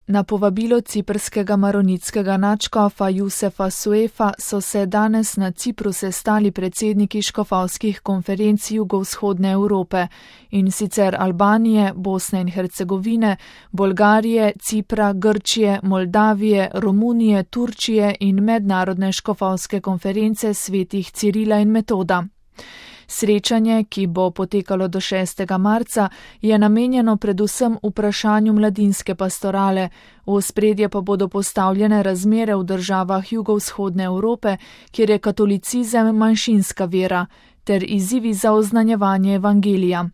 Na povabilo ciprskega maronitskega nadškofa Jusefa Suefa so se danes na Cipru sestali predsedniki škofovskih konferenc jugovzhodne Evrope, in sicer Albanije, Bosne in Hercegovine, Bolgarije, Cipra, Grčije, Moldavije, Romunije, Turčije in mednarodne škofovske konference svetih Cirila in Metoda. Srečanje, ki bo potekalo do 6. marca, je namenjeno predvsem vprašanju mladinske pastorale, v ospredje pa bodo postavljene razmere v državah jugovzhodne Evrope, kjer je katolicizem manjšinska vera, ter izzivi za oznanjevanje evangelija.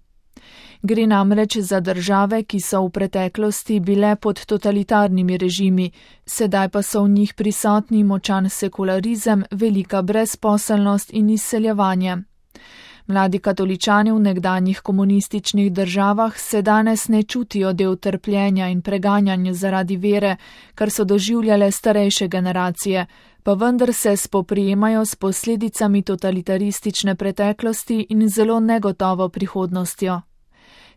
Gre namreč za države, ki so v preteklosti bile pod totalitarnimi režimi, sedaj pa so v njih prisotni močan sekularizem, velika brezposelnost in izseljevanje. Mladi katoličani v nekdanjih komunističnih državah se danes ne čutijo del trpljenja in preganjanja zaradi vere, kar so doživljale starejše generacije, pa vendar se spoprijemajo s posledicami totalitaristične preteklosti in zelo negotovo prihodnostjo.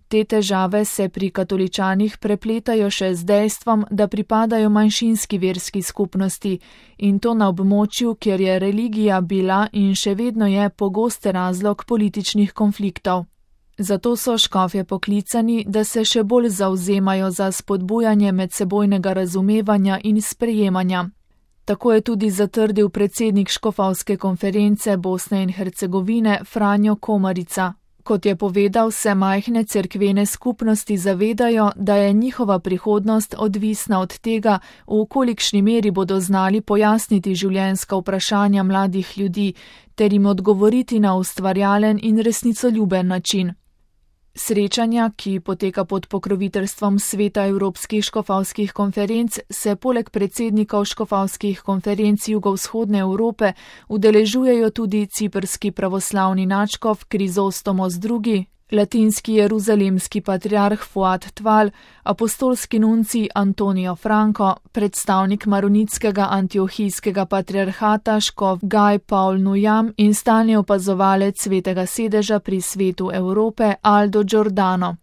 Te težave se pri katoličanih prepletajo še z dejstvom, da pripadajo manjšinski verski skupnosti, in to na območju, kjer je religija bila in še vedno je pogost razlog političnih konfliktov. Zato so škofje poklicani, da se še bolj zavzemajo za spodbujanje medsebojnega razumevanja in sprejemanja. Tako je tudi zatrdil predsednik škofovske konference Bosne in Hercegovine Franjo Komarica. Kot je povedal, se majhne cerkvene skupnosti zavedajo, da je njihova prihodnost odvisna od tega, v kolikšni meri bodo znali pojasniti življenjska vprašanja mladih ljudi, ter jim odgovoriti na ustvarjalen in resnicoljuben način. Srečanja, ki poteka pod pokroviteljstvom Sveta Evropskih škofovskih konferenc, se poleg predsednikov škofovskih konferenc jugovzhodne Evrope udeležujejo tudi ciprski pravoslavni nadškof Krizostomos II., latinski jeruzalemski patriarh Fuad Tval, apostolski nuncij Antonijo Franco, predstavnik maronitskega antiohijskega patriarhata škof Gaj Paul Nujam in stalni opazovalec Svetega sedeža pri Svetu Evrope Aldo Giordano.